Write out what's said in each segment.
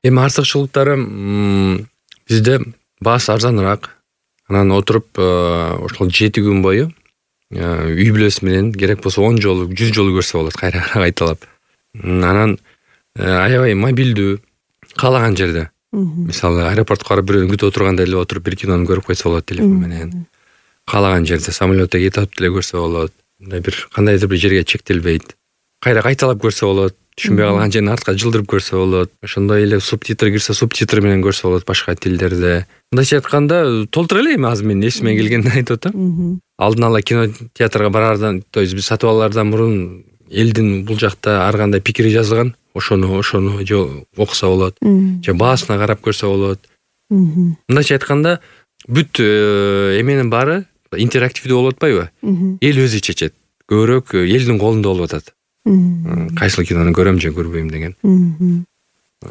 Эми артыкчылыктары бизде баасы арзаныраак. Анан отуруп ошол 7 күн бою үй бүлөсү менен керек болсо 10 жолу, 100 жолу көрсө болот кайра кайталап. Анан аябай мобилдүү, каалаган жерде. Мисалы аэропортко барып бирөөнү күтүп отурганда эле отуруп бир кинону көрүп койсо болот телефон менен. Каалаган жерде самолетто кетип деле көрсө болот. Мындай бир кандайдыр бир жерге чектелбейт. Кайра кайталап көрсө болот. Түшүнбөй калган жерин артка жылдырып көрсө болот. Ошондой эле субтитр кирсе субтитр менен көрсө болот башка тилдерде. Мындайча айтканда толтура эле эми азыр менин эсиме келгенди айтып атам. Алдын ала кинотеатрга барардан, то есть биз сатып алардан мурун элдин бул жакта ар кандай пикири жазылган. Ошону же окуса болот. Же баасына карап көрсө болот. Мындайча айтканда бүт эменин баары интерактивдүү болуп атпайбы? Эл өзү чечет. Көбүрөөк элдин колунда болуп атат. Кайсыл кинону көрөм же көрбөйм деген.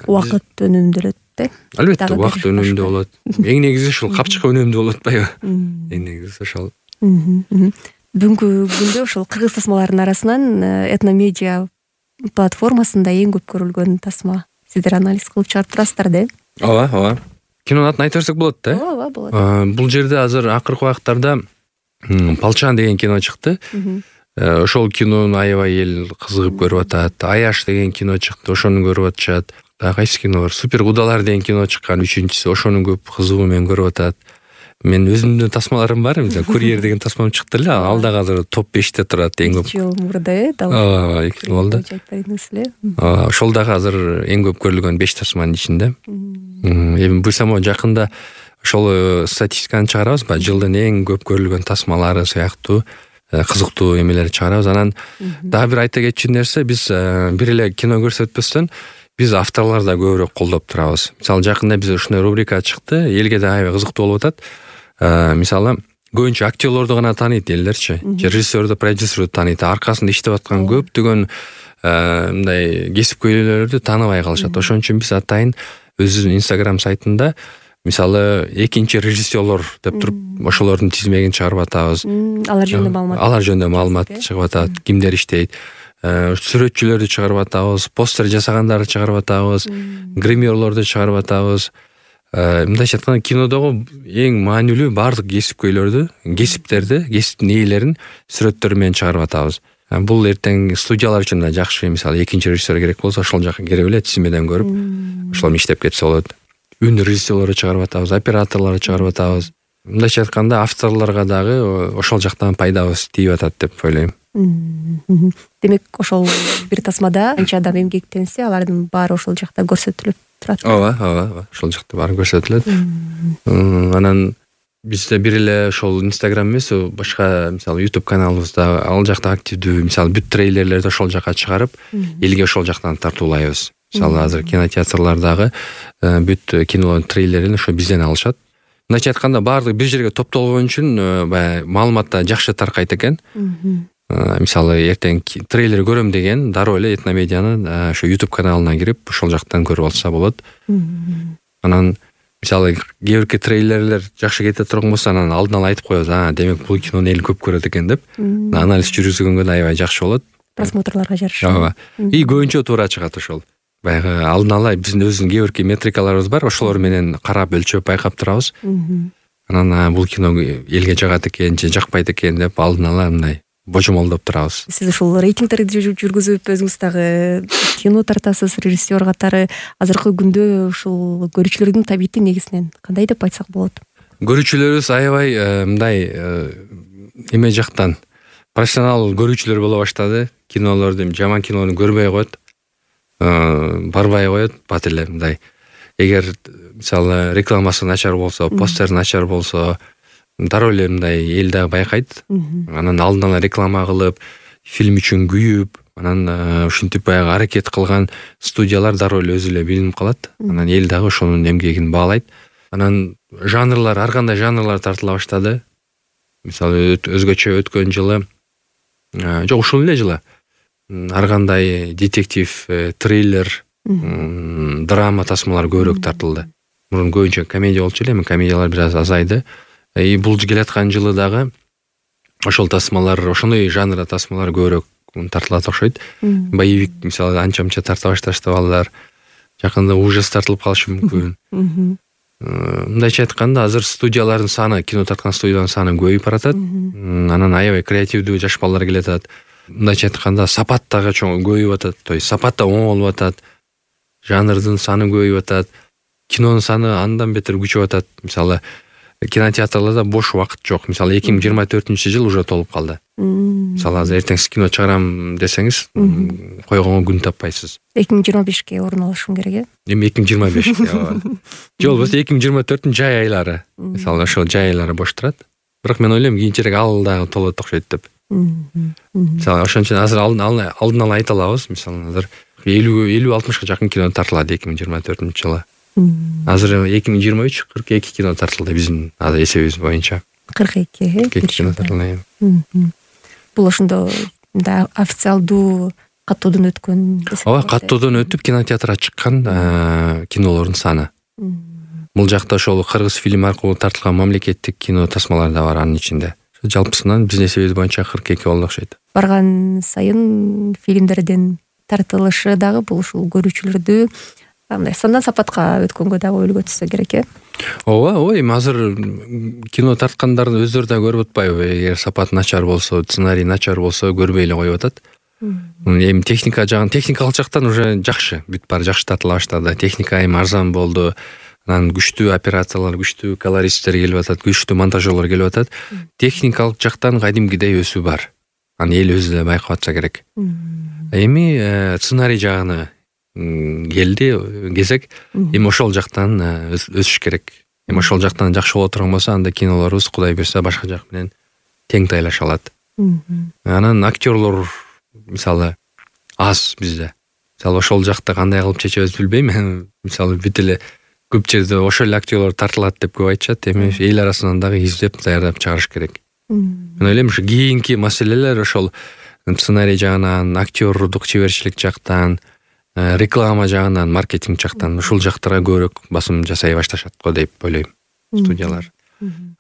Убакыт өнүмдөлөт да? Албетте, убакыт өнүмдүү болот. Эң негизи ушул капчык өнүмдүү болуп атпайбы? Эң негизи ошол. Бүгүнкү күндө ушул кыргыз тасмаларынын арасынан этномедиа платформасында эң көп көрүлгөн тасма. Сиздер анализ кылып чыгарып турасыздар да? Ооба. Кинонун атын айта берсек болот да? Ооба, болот. Бул жерде азыр акыркы убактарда Палчан деген кино чыкты. Ошол кинону аябай эл кызыгып көрүп атат. Аяш деген кино чыкты, ошону көрүп атышат. Кайсы кино бар? Супер кудалар деген кино чыккан, 3-чүсү. Ошону көп кызыгуу менен көрүп атат. Мен өзүмдүн тасмаларым бар, мисалы Курьер деген тасмам чыкты эле, ал дагы азыр топ 5те турат эң көп. 2 жыл мурда, Ооба, 2 жыл болду. Ошол дагы азыр эң көп көрүлгөн 5 тасманын ичинде. Эми буйрсам жакында ошол статистиканы чыгарабыз, жылдын эң көп көрүлгөн тасмалары сыяктуу кызыктуу эмелерди чыгарабыз. Анан дагы бир айта кетчү нерсе, биз бир эле кино көрсөтпөстөн биз авторлорду көбүрөөк колдоп турабыз. Мисалы жакында биз ушундай рубрика чыкты, элге да аябай кызыктуу болуп атат. Мисалы көбүнчө актерлорду гана тааныйт элдерчи, режиссерду, продюсерду тааныйт, аркасында иштеп аткан көптөгөн мындай кесипкөйлөрдү тааныбай калышат. Ошон үчүн биз атайын өзүбүздүн Instagram сайтында мисалы экинчи режиссерлор деп туруп ошолордун тизмегин чыгарып атабыз. Алар жөнүндө маалымат чыгып атат, кимдер иштейт. Сүрөтчүлөрдү чыгарып атабыз, постер жасагандарды чыгарып атабыз, гримерлорду чыгарып атабыз. Мындайча айтканда кинодогу эң маанилүү баардык кесипкөйлөрдү, кесиптерди, кесиптин ээлерин сүрөттөрү менен чыгарып атабыз. Бул эртең студиялар үчүн да жакшы. Мисалы экинчи режиссер керек болсо ошол жака кирип эле тизмеден көрүп, ошол менен иштеп кетсе болот. Үн режиссерлорду чыгарып атабыз, операторлорду чыгарып атабыз. Мындайча айтканда авторлорго дагы ошол жактан пайдабыз тийип атат деп ойлойм. Демек, ошол бир тасмада канча адам эмгектенсе, алардын баары ошол жакта көрсөтүлүп турат. Ооба, ошол жакта баары көрсөтүлөт. Анан бизде бир эле ошол Instagram эмес, башка мисалы YouTube каналыбызда ал жакта активдүү, мисалы бүт трейлерлерди ошол жака чыгарып, элге ошол жактан тартуулайбыз. Мисалы азыр кинотеатрлардагы бүт кинолордун трейлерин ошо бизден алышат. Мындайча айтканда баардык бир жерге топтолгон үчүн баягы маалыматта жакшы таркайт экен. Мисалы эртең трейлер көрөм деген дароо эле Этномедианын ошо YouTube каналына кирип, ошол жактан көрүп алса болот. Анан мисалы кээ бирки трейлерлер жакшы кете турган болсо, анан алдын ала айтып коебуз, демек бул кинону эл көп көрөт экен деп. Анализ жүргүзгөнгө да аябай жакшы болот. Просмотрлорго жараша. Ооба. И көбүнчө туура чыгат ошол. Баягы алдын ала биздин өзүнүн кээ бирки метрикаларыбыз бар, ошолор менен карап өлчөп байкап турабыз. Анан бул кино элге жагат экен же жакпайт экен деп алдын ала мындай божомолдоп турабыз. Сиз ушул рейтингтерди жүргүзүп, өзүңүз дагы кино тартасыз, режиссер катары. Азыркы күндө ушул көрүүчүлөрдүн табити негизинен кандай деп айтсак болот? Көрүүчүлөрүбүз аябай мындай эме жактан профессионал көрүүчүлөр боло баштады. Кинолорду, жаман кинону көрбөй коет, барбай коет, бат эле мындай. Эгер мисалы рекламасы начар болсо, постер начар болсо, дароо эле мындай эл дагы байкайт. Анан алдын ала реклама кылып, фильм үчүн күйүп, анан ушинтип баягы аракет кылган студиялар дароо эле өзү эле билинип калат. Анан эл дагы ошонун эмгегин баалайт. Анан жанрлар, ар кандай жанрлар тартыла баштады. Мисалы өзгөчө өткөн жылы, жок ушул эле жылы ар кандай детектив, триллер, драма тасмалар көбүрөөк тартылды. Мурун көбүнчө комедия болчу эле, эми комедиялар бир аз азайды. Бул келаткан жылы дагы ошол тасмалар, ошондой жанрда тасмалар көбүрөөк тартылат окшойт. Боевик мисалы анча-мынча тарта башташты балдар. жакында ужас тартылып калышы мүмкүн. Мындайча айтканда азыр студиялардын саны, кино тарткан студиялардын саны көбөйүп баратат. Анан аябай креативдүү жаш балдар келатат. Мындайча айтканда сапат дагы чоң көбөйүп атат. То есть сапат да оңолуп атат. Жанрдын саны көбөйүп атат. Кинонун саны андан бетер күчөп атат. Мисалы, кинотеатрларда бош убакыт жок. Мисалы 2024-жыл уже толуп калды. Мисалы, азыр эртең кино чыгарам десеңиз, койгонго күн таппайсыз. 2025-ке орун алышым керек, Эми 2025-ке. Же болбосо 2024-түн жай айлары. Мисалы, ошол жай айлары бош турат. Бирок мен ойлойм, кийинчерээк ал дагы толот окшойт деп. Мисалы, ошон үчүн азыр алдын ала айта алабыз. Мисалы, азыр 50-60ка жакын кино тартылат 2024-жылы. Азыр 2023 42 кино тартылды биздин азыр эсебибиз боюнча. 42 кино тартылды. Бул ошондо официалдуу каттоодон өткөн. Ооба, каттоодон өтүп кинотеатрга чыккан кинолордун саны. Бул жакта ошол кыргыз фильм аркылуу тартылган мамлекеттик кино тасмалар да бар анын ичинде. Жалпысынан биздин эсебибиз боюнча 42 болду окшойт. Барган сайын фильмдердин тартылышы дагы бул ушул көрүүчүлөрдү мындай сандан сапатка өткөнгө дагы үлгү түшсө керек, Ооба, эми азыр кино тарткандарды өздөрү да көрүп атпайбы? Эгер сапат начар болсо, сценарий начар болсо көрбөй эле коюп атат. Эми техникалык жактан уже жакшы, бүт баары жакшы тартыла баштады. Техника эми арзан болду. Анан күчтүү операторлор, күчтүү колористтер келип атат, күчтүү монтажерлор келип атат. Техникалык жактан кадимкидей өсүү бар. Аны эл өзү да байкап атса керек. Эми сценарий жагына келди кезек. Эми ошол жактан өсүш керек. Эми ошол жактан жакшы боло турган болсо, анда кинолорубуз Кудай буйрса башка жак менен тең тайлаша алат. Анан актерлор мисалы аз бизде. Мисалы ошол жакта кандай кылып чечебиз билбейм. Мисалы бүт эле көп жерде ошол эле актерлор тартылат деп көп айтышат. Эми эл арасынан дагы издеп даярдап чыгарыш керек. Мен ойлойм, ушу кийинки маселелер ошол сценарий жагынан, актерлдук чеберчилик жактан, реклама жагынан, маркетинг жактан ушул жактарга көбүрөөк басым жасай башташат го деп ойлойм студиялар.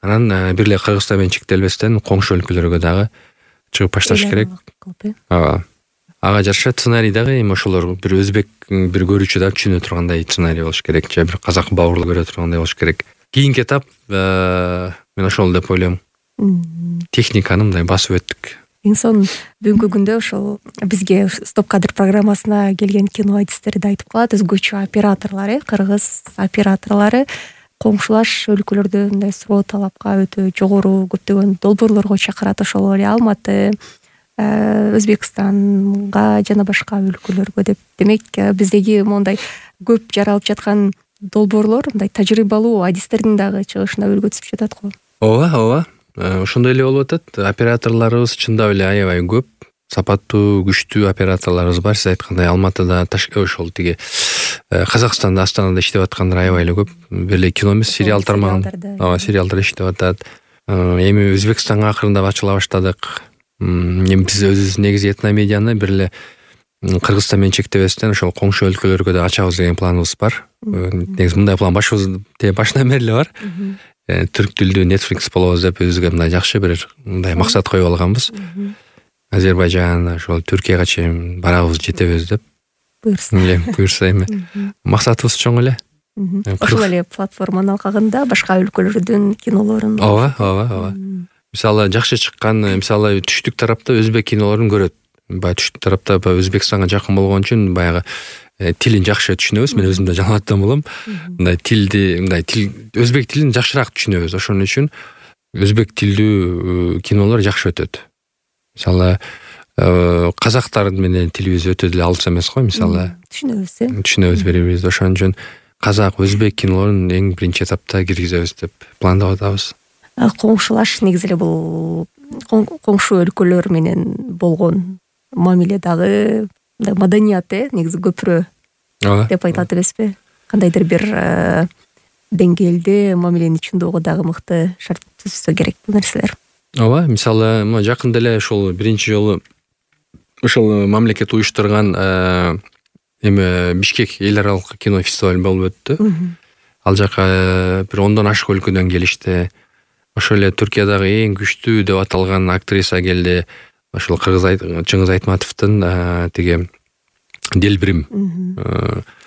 Анан бир эле Кыргызстан менен чектелбестен коңшу өлкөлөргө дагы чыгып башташ керек. Ага жараша сценарий дагы эми ошолор бир өзбек бир көрүүчү дагы түшүнө тургандай сценарий болуш керек, же бир казак бауырлар көрө тургандай болуш керек. Кийинки этап мен ошол деп ойлойм. Техниканы мындай басып өттүк. Эң сонун бүгүнкү күндө ошол бизге Стоп кадр программасына келген кино адистерди айтып калат. Өзгөчө операторлор, кыргыз операторлору коңшулаш өлкөлөрдө мындай суроо талапка өтө жогору көптөгөн долбоорлорго чакырат. Ошол эле Алматы, Өзбекстанга жана башка өлкөлөргө деп. Демек, биздеги мондай көп жаралып жаткан долбоорлор мындай тажрыйбалуу адистердин дагы чыгышына үлгү түшүп жатат го. Ооба. Ошондой эле болуп атат. Операторлорубуз чындап эле аябай көп. Сапаттуу, күчтүү операторлорубуз бар. Сиз айткандай Алматыда, ошол тиги Казакстанда, Астанада иштеп аткандар аябай эле көп. Бир эле кино эмес, сериал тармагында. Ооба, сериалдар иштеп атат. Эми Өзбекстанга акырындап ачыла баштадык. Эми биз өзүбүз негизи этномедианы бир эле Кыргызстан менен чектебестен ошол коңшу өлкөлөргө да ачабыз деген планыбыз бар. Негизи мындай план башынан бери эле бар. Түрк тилдүү Netflix болобуз деп өзүбүзгө мындай жакшы бир мындай максат коюп алганбыз. Азербайжан, ошол Түркияга чейин барабыз, жетебиз деп. Буйрса эми максатыбыз чоң эле. Ошол эле платформанын алкагында башка өлкөлөрдүн кинолорун. Ооба. Мисалы жакшы чыккан, мисалы түштүк тарапта өзбек кинолорун көрөт. Баягы түштүк тарапта Өзбекстанга жакын болгон үчүн баягы тилин жакшы түшүнөбүз. Мен өзүм да жаңылаттан болом. Мындай тил өзбек тилин жакшыраак түшүнөбүз. Ошон үчүн өзбек тилдүү кинолор жакшы өтөт. Мисалы казактар менен тилибиз өтө деле алыс эмес го, мисалы. Түшүнөбүз бири-бирибизди. Ошон үчүн казак, өзбек кинолорун эң биринчи этапта киргизебиз деп пландап атабыз. Коңшулаш негизи эле бул коңшу өлкөлөр менен болгон мамиле дагы маданият негизи көпүрө деп айтылат эмеспи? Кандайдыр бир деңгээлде мамилени түшүндөгө дагы мыкты шарт түзүлсө керек бул нерселер. Ооба, мисалы жакында эле ошол биринчи жолу ошол мамлекет уюштурган эми Бишкек эл аралык кино фестиваль болуп өттү. Ал жака бир 10дон ашык өлкөдөн келишти. Ошол эле Түркиядагы эң күчтүү деп аталган актриса келди. Ошол Чыңгыз Айтматовдун тиги Делбирим,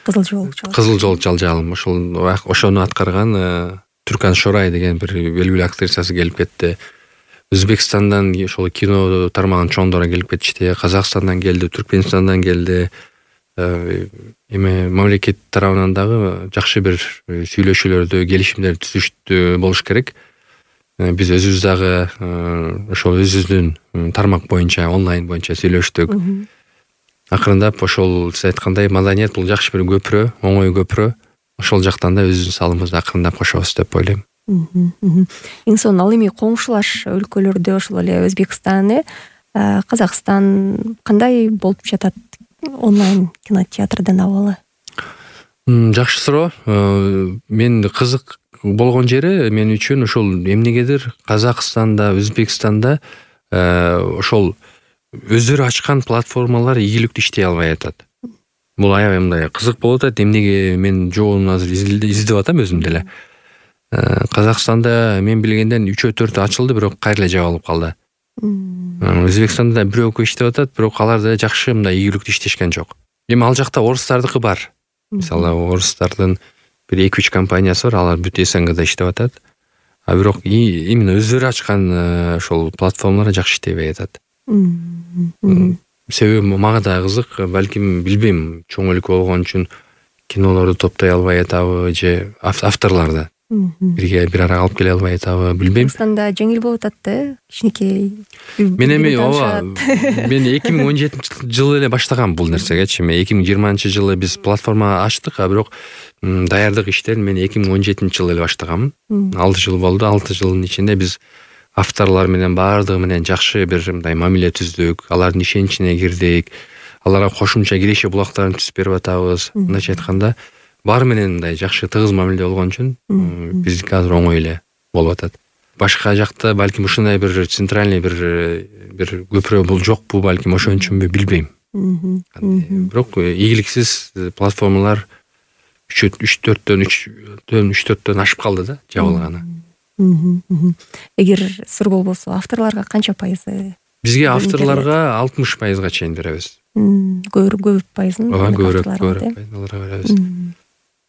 Кызыл жол жалжалым ошону аткарган Түркан Шорай деген бир белгилүү актрисасы келип кетти. Өзбекстандан ошол кино тармагынын чоңдору келип кетишти. Казакстандан келди, Түркменистандан келди. Эми мамлекет тарабынан дагы жакшы бир сүйлөшүүлөрдү, келишимдер түзүштү болуш керек. Биз өзүбүз дагы ошол өзүбүздүн тармак боюнча, онлайн боюнча сүйлөштүк. Акырындап ошол сиз айткандай маданият бул жакшы бир көпүрө, оңой көпүрө. Ошол жактан да өзүбүздүн салымыбызды акырындап кошобуз деп ойлойм. Эң сонун ал эми коңшулаш өлкөлөрдө ошол эле Өзбекстан, Казакстан кандай болуп жатат онлайн кинотеатрдын абалы? Жакшы суроо. Мен кызык болгон жери мен үчүн ошол эмнегедир Казакстанда, Өзбекстанда ошол өздөрү ачкан платформалар ийгиликтүү иштей албай атат. Бул аябай мындай кызык болуп атат. Эмнеге мен жообун азыр издеп атам өзүм деле. Казакстанда мен билгенден 3-4 ачылды, бирок кайра эле жабылып калды. Өзбекстанда бирөө иштеп атат, бирок алар да жакшы мындай ийгиликтүү иштешкен жок. Эми ал жакта орустардыкы бар. Мисалы орустардын бир 2-3 компаниясы бар, алар бүт СНГда иштеп атат. А бирок именно өздөрү ачкан ошол платформалар жакшы иштебей атат. Себеби мага да кызык, балким билбейм, чоң өлкө болгон үчүн кинолорду топтой албай атабы же авторларды бир ара алып келе албай атабы, билбейм. Казакстанда жеңил болуп атат да, кичинекей. Мен эми мен 2017 жылы эле баштагам бул нерсегечи. 2020 жылы биз платформа ачтык, а бирок даярдык иштерин мен 2017 жылы эле баштагам. 6 жыл болду. 6 жылдын ичинде биз авторлор менен баардыгы менен жакшы бир мындай мамиле түздүк, алардын ишеничине кирдик, аларга кошумча киреше булактарын түзүп берип атабыз. Мындайча айтканда, баары менен мындай жакшы тыгыз мамиле болгон үчүн биздики азыр оңой эле болуп атат. Башка жакта балким ушундай бир центральный бир көпүрө бул жокпу, балким ошон үчүнбү, билбейм. Бирок ийгиликсиз платформалар 3-4төн ашып калды да, жабылганы. Эгер сур болбосо авторлорго канча пайызы? Бизге авторлорго 60% чейин беребиз. Көп пайызын аларга беребиз.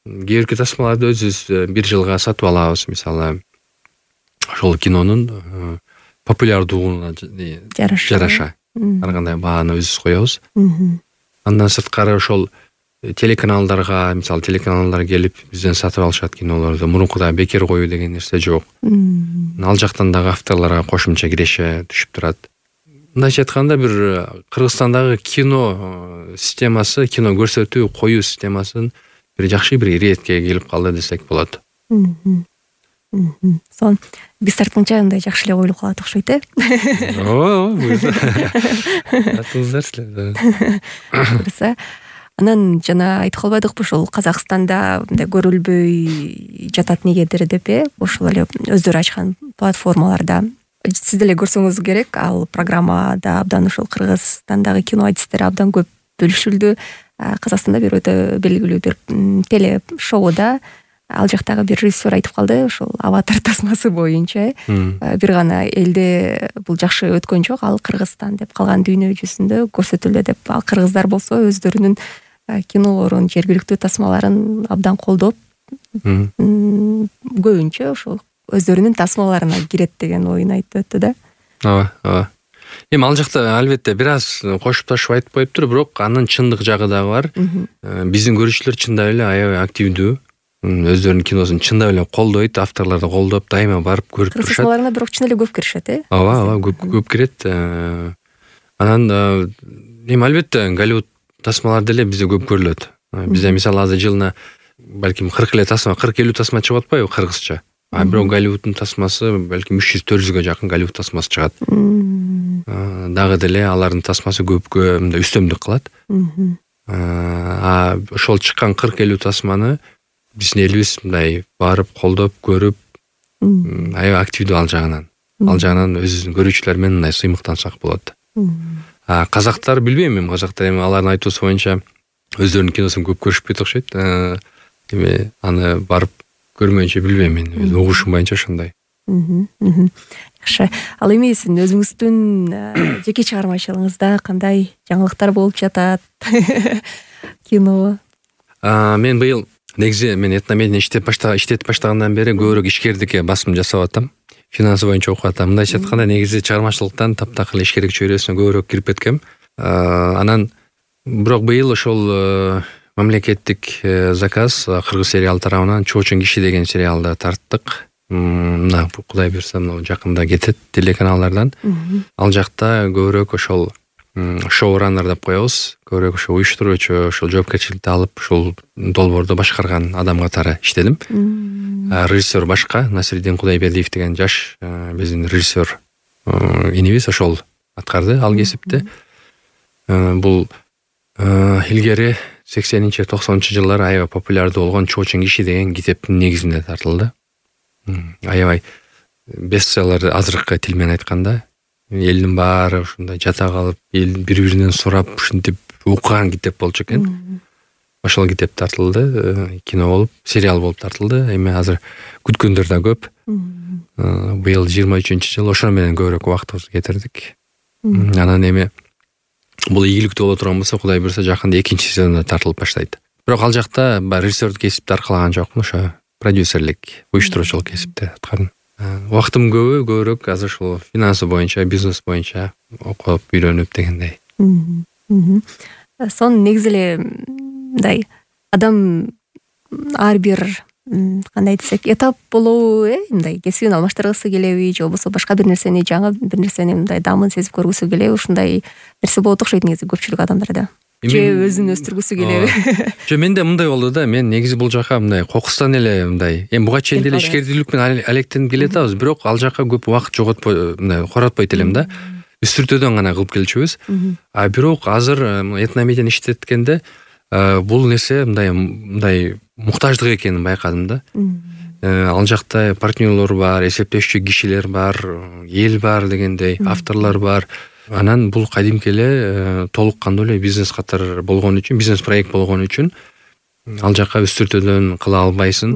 Кээ бирки тасмаларды өзүбүз 1 жылга сатып алабыз, мисалы ошол кинонун популярдуулугуна жараша ар кандай бааны өзүбүз коебуз. Андан сырткары ошол телеканалдарга, мисалы телеканалдар келип бизден сатып алышат кинолорду. Мурункудай бекер коюу деген нерсе жок. Ал жактан дагы авторлорго кошумча киреше түшүп турат. Мындайча айтканда бир Кыргызстандагы кино системасы, кино көрсөтүү, коюу системасын бир жакшы бир иретке келип калды десек болот. Сон биз тартканча мындай жакшы эле коюлуп калат окшойт, Буюрса. Анан жана айтып калбадыкпы ушул Казакстанда мындай көрүлбөй жатат негедир деп, ошол эле өздөрү ачкан платформаларда. Сиз деле көрсөңүз керек, ал программада абдан ушул Кыргызстандагы кино адистери абдан көп бөлүшүлдү. Казакстанда бир өтө белгилүү бир теле шоуда ал жактагы бир режиссер айтып калды, ошол Аватар тасмасы боюнча бир гана элде бул жакшы өткөн жок, ал Кыргызстан деп, калган дүйнө жүзүндө көрсөтүлдү деп. Ал кыргыздар болсо өздөрүнүн кинолорун, жергиликтүү тасмаларын абдан колдоп, көбүнчө ошол өздөрүнүн тасмаларына кирет деген оюн айтып өттү да. Ооба. Эми ал жакта албетте бир аз кошуп ташып айтып коюптур, бирок анын чындык жагы дагы бар. Биздин көрүүчүлөр чындап эле аябай активдүү, өздөрүнүн киносун чындап эле колдойт, авторлорду колдоп, дайыма барып көрүп турушат. Тасмаларына бирок чын эле көп киришет, Ооба, көп кирет. Анан эми албетте Голливуд тасмалары деле бизде көп көрүлөт. Бизде мисалы азыр жылына балким 40-50 тасма чыгып атпайбы кыргызча. А бирок Голливуддун тасмасы балким 300-400гө жакын Голливуд тасмасы чыгат. Дагы деле алардын тасмасы көпкө мындай үстөмдүк кылат. Ошол чыккан 40-50 тасманы биздин элибиз мындай барып колдоп көрүп, аябай активдүү ал жагынан. Ал жагынан өзүбүздүн көрүүчүлөр менен мындай сыймыктансак болот. Казактар билбейм, эми казактар эми алардын айтуусу боюнча өздөрүнүн киносун көп көрүшпөйт окшойт. Эми аны барып көрмөйүнчө билбейм, мен угушум боюнча ошондой. Жакшы. Ал эми сиздин өзүңүздүн жеке чыгармачылыгыңызда кандай жаңылыктар болуп жатат? Кино. Мен быйыл негизи мен этномедиа иштетип баштагандан бери көбүрөөк ишкердикке басым жасап атам. Финансы боюнча окуп атам. Мындайча айтканда негизи чыгармачылыктан таптакыр ишкердик чөйрөсүнө көбүрөөк кирип кеткем. Анан бирок быйыл ошол мамлекеттик заказ кыргыз сериалы тарабынан Чоочун киши деген сериалды тарттык. Мына Кудай буйрса жакында кетет телеканалдардан. Ал жакта көбүрөөк ошол шоураннер деп коебуз. Көбүрөөк ошо уюштуруучу, ошол жоопкерчиликти алып, ошол долбоорду башкарган адам катары иштедим. Режиссер башка Насирдин Кудайбердиев деген жаш биздин режиссер инибиз ошол аткарды ал кесипти. Бул илгери 80-90-жылдары аябай популярдуу болгон Чоочун киши деген китептин негизинде тартылды. Аябай бестселлер азыркы тил менен айтканда. Элдин баары ушундай жата калып, эл бири-биринен сурап ушинтип окуган китеп болчу экен. Ошол китеп тартылды, кино болуп, сериал болуп тартылды. Эми азыр күткөндөр да көп. Быйыл 23-жыл ошо менен көбүрөөк убактыбызды кетирдик. Анан эми бул ийгиликтүү боло турган болсо, Кудай буйрса жакында 2-сезонда тартылып баштайт. Бирок ал жакта режиссердик кесипти аркалаган жокмун, ошо продюсерлик, уюштуруучулук кесипти аткардым. Убактым көбүрөөк азыр ушул финансы боюнча, бизнес боюнча окуп, үйрөнүп дегендей. Сон негизи эле мындай адам ар бир кандай десек этап болобу, мындай кесибин алмаштыргысы келеби, же болбосо башка бир нерсени, жаңы бир нерсени мындай дамын сезип көргүсү келеби, ушундай нерсе болот окшойт негизи көпчүлүк адамдарда. Же өзүн өстүргүсү келеби? Же менде мындай болду да, мен негизи бул жака мындай кокустан эле мындай, эми буга чейин деле ишкердүүлүк менен алектенип келатабыз, бирок ал жака көп убакыт жоготпой, мындай коратпойт элем да. Үстүртөдөн гана кылып келчүбүз. Бирок азыр этномедианы иштеткенде бул нерсе мындай муктаждык экенин байкадым да. Ал жакта партнерлор бар, эсептешчү кишилер бар, эл бар дегендей, авторлор бар. Анан бул кадимки эле толук кандуу эле бизнес катар болгон үчүн, бизнес проект болгон үчүн ал жака үстүртөдөн кыла албайсың.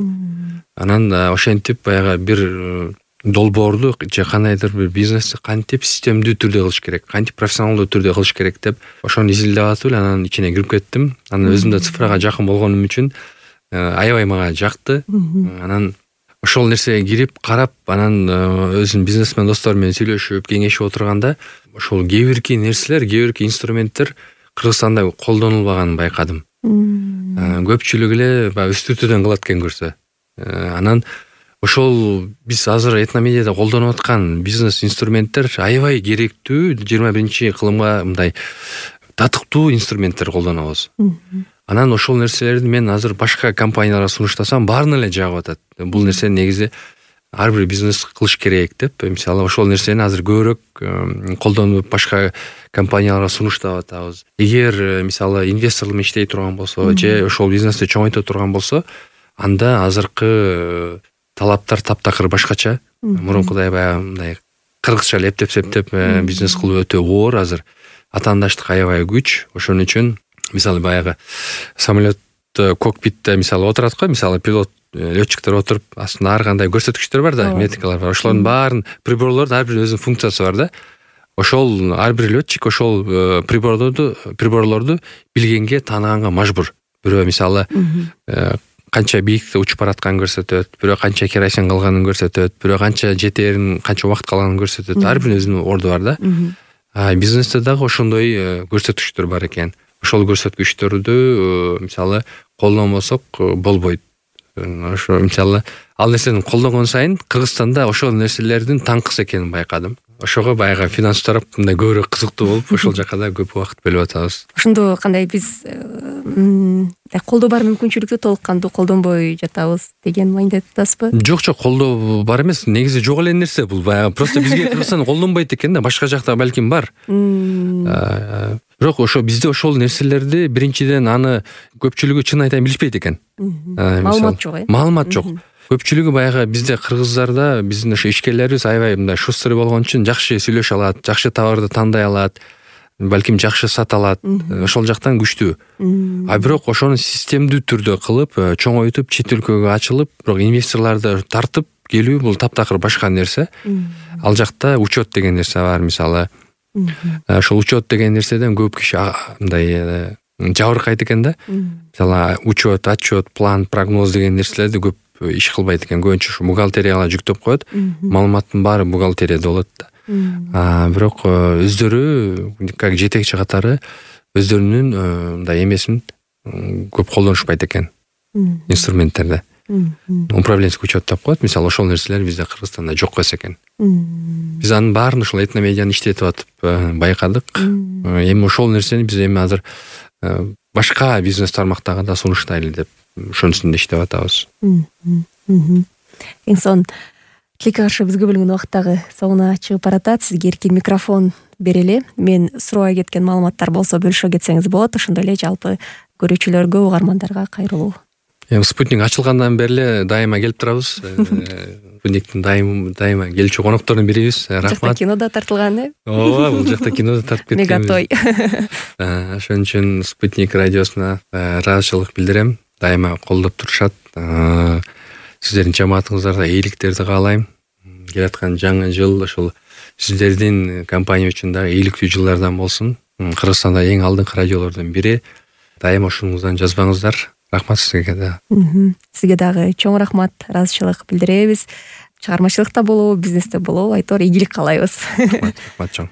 Анан ошентип баягы бир долбоорду же кандайдыр бир бизнести кантип системдүү түрдө кылыш керек, кантип профессионалдуу түрдө кылыш керек деп ошону изилдеп атып эле анан ичине кирип кеттим. Анан өзүм да цифрага жакын болгонум үчүн аябай мага жакты. Анан ошол нерсеге кирип карап, анан өзүнүн бизнесмен достор менен сүйлөшүп, кеңешип отурганда ошол кээ бирки нерселер, кээ бирки инструменттер Кыргызстанда колдонулбаганын байкадым. Көпчүлүк эле баягы үстүртөдөн кылат экен көрсө. Анан ошол биз азыр этномедиада колдонуп аткан бизнес инструменттер аябай керектүү, 21-кылымга мындай татыктуу инструменттер колдонобуз. Анан ошол нерселерди мен азыр башка компанияларга сунуштасам, баарын эле жагып атат. Бул нерсени негизи ар бир бизнес кылыш керек деп, мисалы ошол нерсени азыр көбүрөөк колдонуп башка компанияларга сунуштап атабыз. Эгер мисалы инвесторлор менен иштей турган болсо, же ошол бизнести чоңойто турган болсо, анда азыркы талаптар таптакыр башкача. Мурункудай баягы мындай кыргызча эле эптеп бизнес кылуу өтө оор азыр. Атаандаштык аябай күч. Ошон үчүн мисалы баягы самолет кокпитте мисалы отурат го, мисалы пилот летчиктер отуруп, астында ар кандай көрсөткүчтөр бар да, метрикалар бар. Ошолордун баарын приборлордун ар бир өзүнүн функциясы бар да. Ошол ар бир летчик ошол приборлорду билгенге, тааныганга мажбур. Бирөө мисалы канча бийиктикте учуп баратканын көрсөтөт, бирөө канча керосин калганын көрсөтөт, бирөө канча жетээрин, канча убакыт калганын көрсөтөт. Ар биринин өзүнүн орду бар да. Бизнесте дагы ошондой көрсөткүчтөр бар экен. Ошол көрсөткүчтөрдү мисалы колдонбосок болбойт. Ошо мисалы ал нерсени колдонгон сайын Кыргызстанда ошол нерселердин таңкыс экенин байкадым. Ошого баягы финанс тарап мындай көбүрөөк кызыктуу болуп, ошол жака да көп убакыт бөлүп атабыз. Ошондо кандай биз колдоо бар мүмкүнчүлүктү толук кандуу колдонбой жатабыз деген маекинде атасызбы? Жок, колдоо бар эмес, негизи жок эле нерсе бул. Баягы просто бизге Кыргызстан колдонбойт экен да, башка жакта балким бар. Бирок ошо бизде ошол нерселерди биринчиден аны көпчүлүгү чын айтайын билишпейт экен. Маалымат жок, Маалымат жок. Көпчүлүгү баягы бизде кыргыздарда биздин ошо ишкерлерибиз аябай мындай шустрый болгон үчүн жакшы сүйлөшө алат, жакшы товарды тандай алат, балким жакшы сата алат. Ошол жактан күчтүү. Бирок ошону системдүү түрдө кылып, чоңойтуп, чет өлкөгө ачылып, бирок инвесторлорду тартып, келүү бул таптакыр башка нерсе. Ал жакта учет деген нерсе бар, мисалы. Ошол учет деген нерседен көп киши мындай жабыркайт экен да. Мисалы учет, отчет, план, прогноз деген нерселерди көп иш кылбайт экен. Көбүнчө ушу бухгалтерияга жүктөп коет. Маалыматтын баары бухгалтерияда болот да. Бирок өздөрү как жетекчи катары өздөрүнүн мындай эмесин көп колдонушпайт экен. Инструменттерде. Управленческий учет деп коет. Мисалы ошол нерселер бизде Кыргызстанда жок эмес экен. Биз анын баарын ушул этномедианы иштетип атып байкадык. Эми ошол нерсени биз эми азыр башка бизнес тармактарга да сунуштайлы деп ошонусунда иштеп атабыз. Эң son тилекке каршы бизге бөлүнгөн убакыт дагы соңуна чыгып баратат. Сизге эркин микрофон берели. Мен сурабай кеткен маалыматтар болсо бөлүшө кетсеңиз болот. Ошондой эле жалпы көрүүчүлөргө, угармандарга кайрылуу. Эми спутник ачылгандан бери эле дайыма келип турабыз. Спутниктин дайыма келүүчү коноктордун бирибиз. Рахмат. Жакта кино да тартылган, Ооба, бул жакта кино да тартып кеткен. Мегатой. Ошон үчүн Спутник радиосуна ыраазычылык билдирем. Дайыма колдоп турушат. Сиздердин жамаатыңыздарга ийгиликтерди каалайм. Келаткан жаңы жыл ошол сиздердин компания үчүн да ийгиликтүү жылдардан болсун. Кыргызстанда эң алдыңкы радиолордун бири. Дайыма ушуңуздан жазбаңыздар. Рахмат сизге да. Сизге дагы чоң рахмат, ыраазычылык билдиребиз. Чыгармачылыкта болобу, бизнесте болобу, айтор ийгилик каалайбыз. Рахмат чоң.